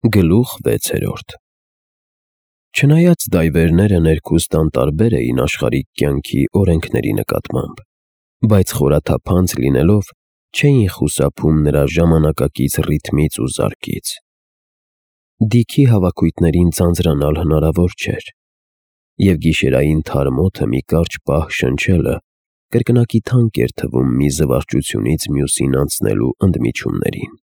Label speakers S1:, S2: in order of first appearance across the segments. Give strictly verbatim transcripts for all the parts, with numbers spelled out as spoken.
S1: Գլուխ վեցերորդ Չնայած դայվերները ներքուստ անտարբեր էին աշխարհիկ կյանքի օրենքների նկատմամբ, բայց խորաթափանց լինելով չէին խուսափում նրա ժամանակակից ռիթմից ու զարկից։ Դիքի հավաքույթներին ձանձրանալ հնարավոր չէր, և գիշերային թարմ օդը մի կարճ պահ շնչելը կրկնակի թանկ էր թվում մի զվարճությունից մյուսին անցնելու ընդմիջումներին։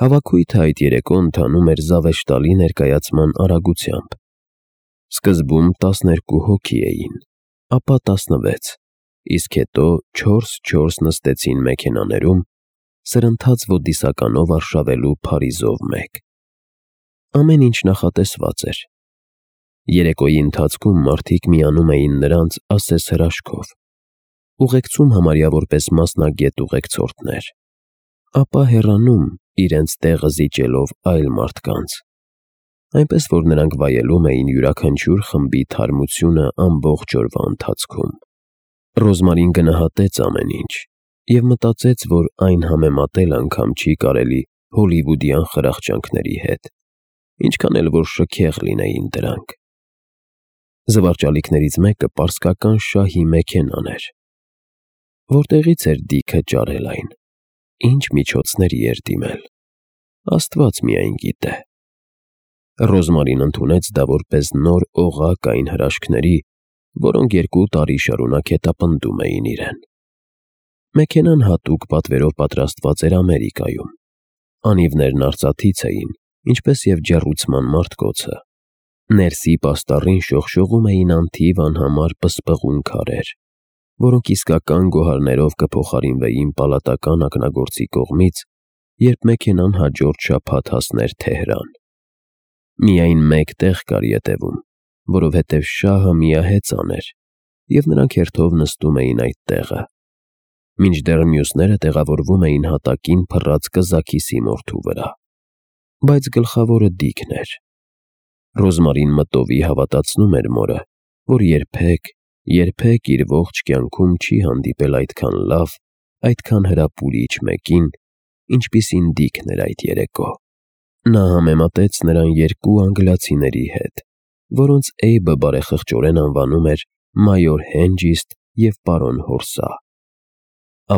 S1: Հավաքույթը այդ երեկո ընթանում էր զավեշտալի ներկայացման արագությամբ։ Սկզբում տասներկու հոգի էին, ապա տասնվեց, իսկ հետո չորս֊չորս նստեցին մեքենաներում, սրընթաց ոդիսականով արշավելու փարիզով մեկ։ Ամեն ինչ նախատեսված էր։ Երեկոյի ընթացքում մարդիկ միանում էին նրանց ասես հրաշքով, ուղեկցում համարյա որպես մասնագետ ուղեկցորդներ, ապա հեռանում, իրենց տեղը զիջելով այլ մարդկանց, այնպես որ նրանք վայելում էին յուրաքանչյուր խմբի թարմությունը ամբողջ օրվա ընթացքում։ Ռոզմարին գնահատեց ամեն ինչ և մտածեց, որ այն համեմատել անգամ չի կարելի հոլիվուդյան խրախճանքների հետ, ինչքան էլ որ շքեղ լինեին դրանք։ Զվարճալիքներից մեկը պարսկական շահի մեքենան էր։ Որտեղի՞ց էր Դիքը ճարել այն, ինչ միջոցների էր դիմել, Աստված միայն գիտե։ Ռոզմարին ընդունեց դա որպես նոր օղակ այն հրաշքների, որոնք երկու տարի շարունակ հետապնդում էին իրեն։ Մեքենան հատուկ պատվերով պատրաստված էր Ամերիկայում։ Անիվներն արծաթից էին, ինչպես և ջեռուցման մարտկոցը։ Ներսի պաստառին շողշողում էին անթիվ անհամար պսպղուն քարեր, որոնք իսկական գոհարներով կփոխարինվեին պալատական ակնագործի կողմից, երբ մեքենան հաջորդ շաբաթ հասներ Թեհրան։ Միայն մեկ տեղ կար ետևում, որովհետև շահը միահեծան էր, և նրանք հերթով նստում էին այդ տեղը, մինչդեռ մյուսները տեղավորվում էին հատակին փռած կզաքիսի մորթու վրա։ Բայց գլխավորը Դիքն էր։ Ռոզմարին մտովի հավատացնում էր մորը, որ երբեք, երբեք իր ողջ կյանքում չի հանդիպել այդքան լավ, այդքան հրապուրիչ մեկին, ինչպիսին Դիքն էր այդ երեկո։ Նա համեմատեց նրան երկու անգլիացիների հետ, որոնց Էյբը բարեխղճորեն անվանում էր մայոր Հենջիստ և պարոն Հորսա,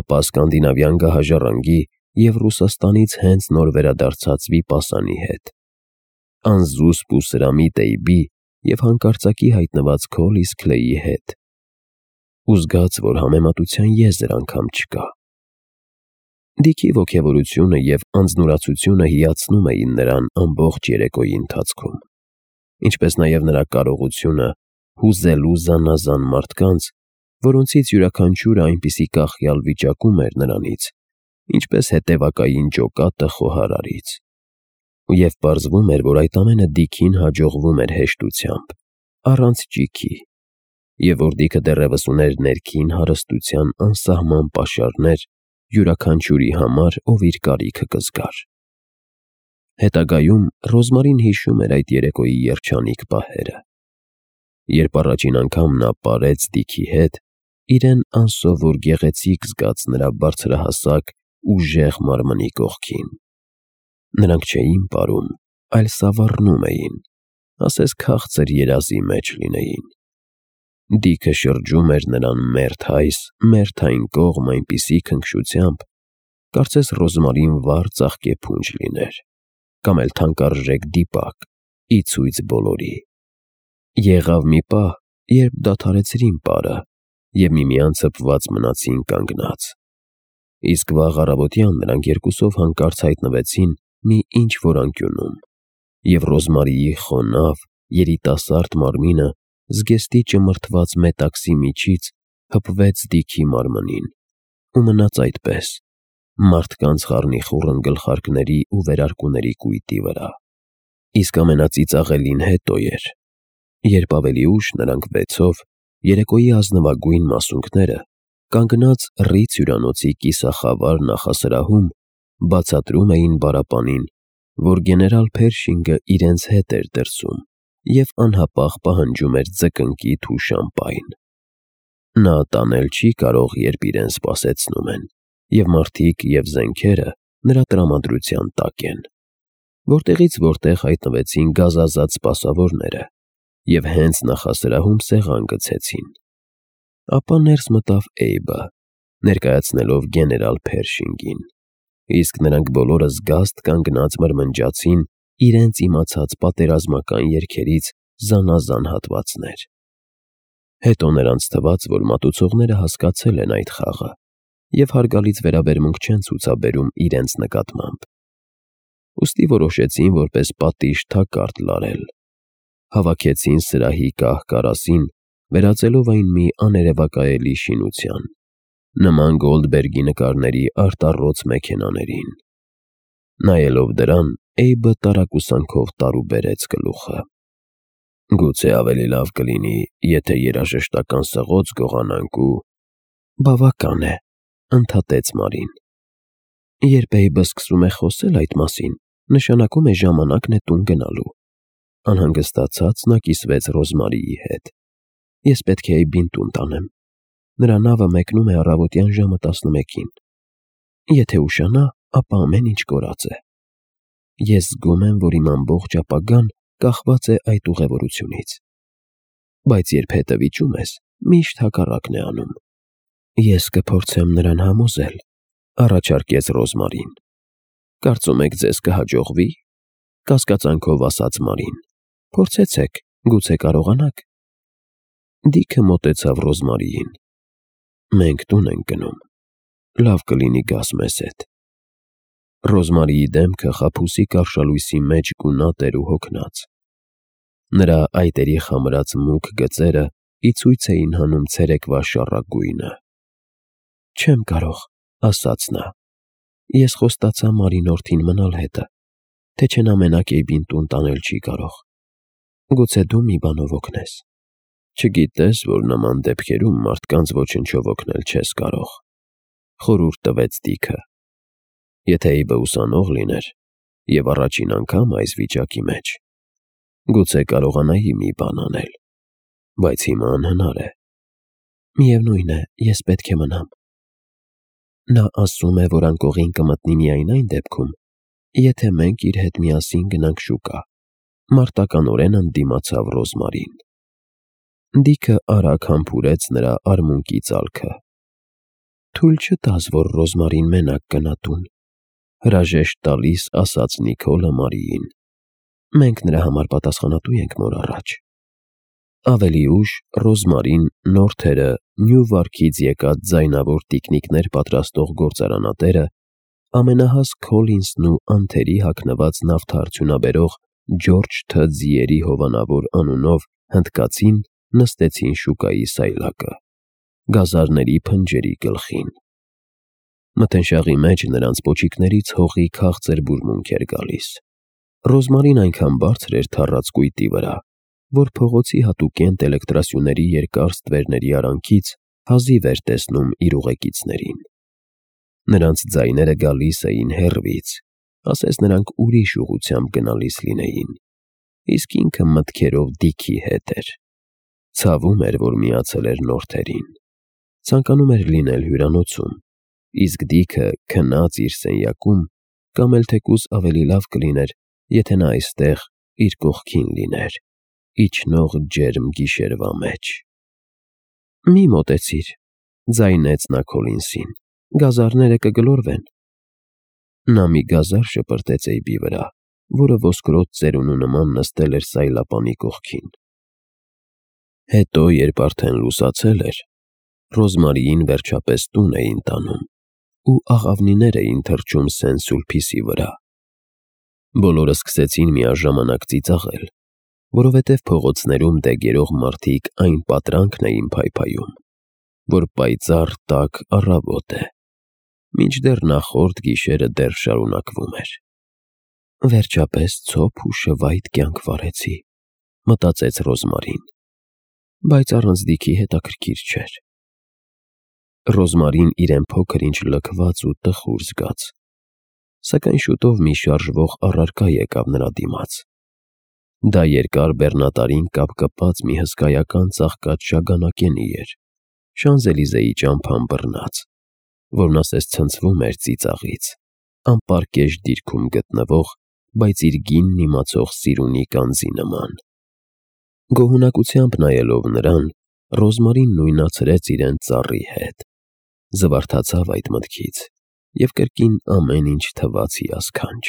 S1: ապա սկանդինավյան գահաժառանգի և Ռուսաստանից հենց նոր վերադարձած Վիպասանի հետ, անզուսպ ու սրամիտ Էյբի և հանկարծակի հայտնված Քոլիս Քլեյի հետ, ու զգաց, որ համեմատության եզր անգամ չկա։ Դիքի ոգևորությունը և անձնուրացությունը հիացնում էին նրան ամբողջ երեկոյի ընթացքում, ինչպես նաև նրա կարողությունը հուզելու զանազան մարդկանց, որոնցից յուրաքանչյուրը այնպիսի կախյալ վիճակում էր նրանից, ինչպես հետևակային ջոկատը խոհարարից։ Եվ պարզվում էր, որ այդ ամենը Դիքին հաջողվում էր հեշտությամբ, առանց ճիգի, և որ Դիքը դեռևս ուներ ներքին հարստության անսահման պաշարներ յուրաքանչյուրի համար, ով իր կարիքը կզգար։ Հետագայում Ռոզմարին հիշում էր այդ երեկոյի երջանիկ պահերը, երբ առաջին անգամ նա պարեց Դիքի հետ, իրեն անսովոր գեղեցիկ զգաց նրա բարձրահասակ, ուժեղ մարմնի կողքին։ Նրանք չէին պարում, այլ սավառնում էին, ասես քաղցր երազի մեջ լինեին։ Դիքը շրջում էր նրան մերթ այս, մերթ այն կողմ այնպիսի քնքշությամբ, կարծես Ռոզմարին վառ ծաղկեփունջ լիներ, կամ էլ թանկարժեք դիպակ, ի ցույց բոլորի։ Եղավ մի պահ, երբ դադարեցրին պարը և միմյանց հպված մնացին կանգնած, իսկ վաղ առավոտյան նրանք երկուսով հանկարծ հայտնվեցին մի ինչ֊որ անկյունում, և Ռոզմարիի խոնավ, երիտասարդ մարմինը զգեստի ճմրթված մետաքսի միջից հպվեց Դիքի մարմնին ու մնաց այդպես, մարդկանց խառնիխուռն գլխարկների ու վերարկուների կույտի վրա։ Իսկ ամենածիծաղելին հետո էր, երբ ավելի ուշ նրանք վեցով, երեկոյի ազնվագույն մասունքները, կանգնած Ռից հյուրանոցի կիսախավար նախասրահում, բացատրում էին պարապանին, որ գեներալ Փերշինգը իրենց հետ էր դրսում և անհապաղ պահանջում էր ձկնկիթ ու շամպայն։ Նա տանել չի կարող, երբ իրեն սպասեցնում են, և մարդիկ և զենքերը նրա տրամադրության տակ են։ որտեղից որտեղ հայտնվեցին գազազած սպասավորները և հենց նախասրահում սեղան գցեցին։ Ապա ներս մտավ Էյբը, ներկայացնելով գեներալ Փերշինգին, իսկ նրանք բոլորը զգաստ կանգնած մրմնջացին իրենց իմացած պատերազմական երգերից զանազան հատվածներ։ Հետո նրանց թվաց, որ մատուցողները հասկացել են այդ խաղը և հարգալից վերաբերմունք չեն ցուցաբերում իրենց նկատմամբ։ Ուստի որոշեցին որպես պատիժ թակարդ լարել։ Հավաքեցին սրահի կահ-կարասին, վերածելով այն մի աներևակայելի շինության, նման Գոլդբերգի նկարների արտառոց մեքենաներին։ Նայելով դրան, Էյբը տարակուսանքով տարուբերեց գլուխը։ Գուցե ավելի լավ կլինի, եթե երաժշտական սղոց գողանանք ու… Բավական է, ընդհատեց Մարին։ Երբ Էյբը սկսում է խոսել այդ մասին, նշանակում է ժամանակն է տուն գնալու։ Անհանգստացած նա կիսվեց Ռոզմարիի հետ։ Ես պետք է Էյբին տուն տանեմ։ Նրա նավը մեկնում է առավոտյան ժամը տասնմեկին։ Եթե ուշանա, ապա ամեն ինչ կորած է։ Ես զգում եմ, որ իմ ամբողջ ապագան կախված է այդ ուղևորությունից։ Բայց երբ հետը վիճում ես, միշտ հակառակն է անում։ Ես կփորձեմ նրան համոզել, առաջարկեց Ռոզմարին։ Կարծում եք ձեզ կհաջողվի, կասկածանքով ասաց Մարին։ Փորձեցեք, գուցե կարողանաք։ Դիքը մոտեցավ Ռոզմարիին։ Մենք տուն ենք գնում։ Լավ կլինի գաս մեզ հետ։ Ռոզմարիի դեմքը խաբուսիկ արշալույսի մեջ գունատ էր ու հոգնած։ Նրա այտերի խամրած մուգ գծերը ի ցույց էին հանում ցերեկվա շառագույնը։ Չեմ կարող, ասաց նա։ Ես խոստացա Մարինորդին մնալ հետը, թե չէ նա մենակ Էյբին տուն տանել չի կարող։ Գուցե դու մի բանով օգնես։ Չգիտես, որ նման դեպքերում մարդկանց ոչնչով օգնել չես կարող, խորհուրդ տվեց Դիքը։ Եթե Էյբը ուսանող լիներ և առաջին անգամ այս վիճակի մեջ, գուցե կարողանայի մի բան անել, բայց հիմա անհնար է։ Միևնույն է, ես պետք է մնամ։ Նա ասում է, որ անկողին կմտնի միայն այն դեպքում, եթե մենք իր հետ միասին գնանք շուկա։ Մարտականորեն ընդդիմացավ Ռոզմարին։ Դիքը արագ համբուրեց նրա արմունկի ծալքը։ Թույլ չտաս, որ Ռոզմարին մենակ գնա տուն, հրաժեշտ տալիս ասաց Նիկոլը Մարիին։ Մենք նրա համար պատասխանատու ենք մոր առաջ։ Ավելի ուշ Ռոզմարին նոր թերը Նյու Վարքից եկած ձայնավոր տիկնիկներ պատրաստող գործարանատերը, ամենահաս Քոլինսն ու անթերի հագնված նավթարդյունաբերող Ջորջ Թ. Ձիերի հովանավոր անունով հնդկացին նստեցին շուկայի սայլակը, գազարների փնջերի գլխին։ Մթնշաղի մեջ նրանց պոչիկներից հողի քաղցր բուրմունք էր գալիս։ Ռոզմարին այնքան բարձր էր թառած կույտի վրա, որ փողոցի հատուկենտ էլեկտրասյուների երկար ստվերների արանքից հազիվ էր տեսնում իր ուղեկիցներին։ Նրանց ձայները գալիս էին հեռվից, ասես նրանք ուրիշ ուղղությամբ գնալիս լինեին, իսկ ինքը մտքերով Դիքի հետ էր։ Ցավում էր, որ միացել էր նոր թերին։ Ցանկանում էր լինել հյուրանոցում, իսկ Դիքը քնած իր սենյակում, կամ էլ թեկուզ ավելի լավ կլիներ, եթե նա այստեղ իր կողքին լիներ, իջնող ջերմ գիշերվա մեջ։ Մի մոտեցիր, ձայնեց նա Քոլինսին, գազարները կգլորվեն։ Նա մի գազար շպրտեց Էյբի վրա, որը ոսկրոտ ծերունու նման նստել էր սայլապանի կողքին։ Հետո, երբ արդեն լուսացել էր, Ռոզմարիին վերջապես տուն էին տանում ու աղավնիներ էին թռչում Սեն-Սուլպիսի վրա։ Բոլորը սկսեցին միաժամանակ ծիծաղել, որովհետև փողոցներում դեգերող մարդիկ այն պատրանքն էին փայփայում, որ պայծառ տաք առավոտ է, մինչդեռ նախորդ գիշերը դեռ շարունակվում էր։ Վերջապես ցոփ ու շվայտ կյանք վարեցի, մտածեց Ռոզմարին, բայց առանց Դիքի հետաքրքիր չէր։ Ռոզմարին իրեն փոքր-ինչ լքված ու տխուր զգաց, սակայն շուտով մի շարժվող առարկա եկավ նրա դիմաց։ Դա երկար բեռնատարին կապկպած մի հսկայական ծաղկած շագանակենի էր, Շանզելիզեի ճամփան բռնած, որն ասես ցնցվում էր ծիծաղից, անպարկեշտ դիրքում գտնվող բայց իր գինն իմացող սիրունի կանձի նման։ Գոհունակությամբ նայելով նրան, Ռոզմարին նույնացրեց իրեն ծառի հետ, զվարթացավ այդ մտքից և կրկին ամեն ինչ թվաց հիասքանչ։